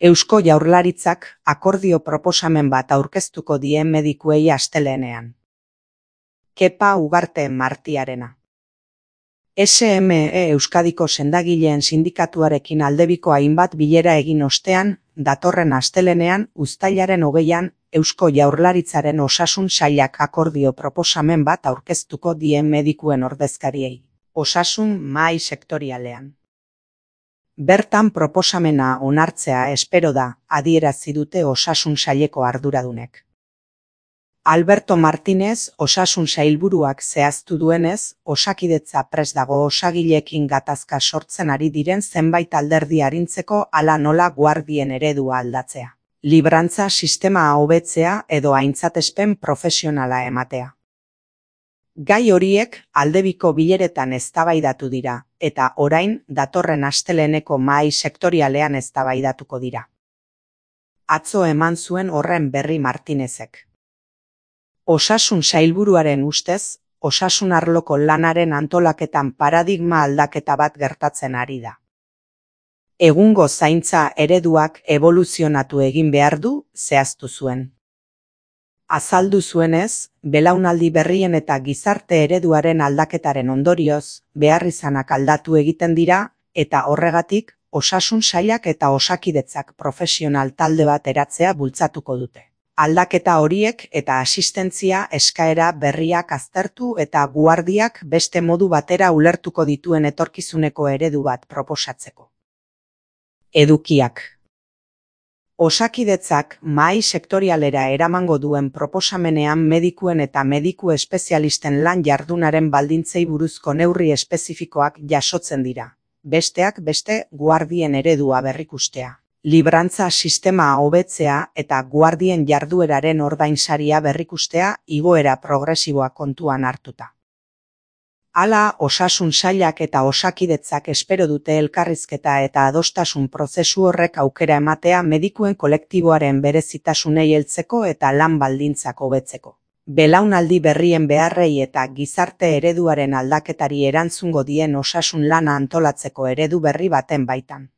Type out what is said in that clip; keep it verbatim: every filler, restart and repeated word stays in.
Eusko Jaurlaritzak akordio proposamen bat aurkeztuko die medikuei astelehenean. Kepa Ugarte Martiarena. S M E Euskadiko sendagileen sindikatuarekin aldebiko hainbat bilera egin ostean, datorren astelehenean uztailaren hogeian, Eusko Jaurlaritzaren osasun sailak akordio proposamen bat aurkeztuko die medikuen ordezkariei, osasun mahai sektorialean. Bertan proposamena onartzea espero da, adierazi dute osasun saileko arduradunek. Alberto Martínez, osasun sailburuak zehaztu duenez, Osakidetza prest dago osagileekin gatazka sortzen ari diren zenbait alderdi arintzeko hala nola guardien eredua aldatzea, librantza sistema hobetzea edo aintzatespen profesionala ematea. Gai horiek aldebiko bileretan eztabaidatu dira, eta orain datorren asteleheneko mahai sektorialean eztabaidatuko dira. Atzo eman zuen horren berri Martinezek. Osasun sailburuaren ustez, osasun arloko lanaren antolaketan paradigma aldaketa bat gertatzen ari da. Egungo zaintza ereduak eboluzionatu egin behar du, zehaztu zuen. Azaldu zuenez, belaunaldi berrien eta gizarte ereduaren aldaketaren ondorioz, beharrizanak aldatu egiten dira, eta horregatik, osasun sailak eta osakidetzak profesional talde bat eratzea bultzatuko dute. Aldaketa horiek eta asistentzia eskaera berriak aztertu eta guardiak beste modu batera ulertuko dituen etorkizuneko eredu bat proposatzeko. Edukiak. Osakidetzak mahai sektorialera eramango duen proposamenean medikuen eta mediku espezialisten lan jardunaren baldintzei buruzko neurri espezifikoak jasotzen dira. Besteak beste guardien eredua berrikustea, librantza sistema hobetzea eta guardien jardueraren ordainsaria berrikustea igoera progresiboa kontuan hartuta. Hala, osasun sailak eta osakidetzak espero dute elkarrizketa eta adostasun prozesu horrek aukera ematea medikuen kolektiboaren berezitasunei heltzeko eta lan baldintzak hobetzeko. Belaunaldi berrien beharrei eta gizarte ereduaren aldaketari erantzungo dien osasun lana antolatzeko eredu berri baten baitan.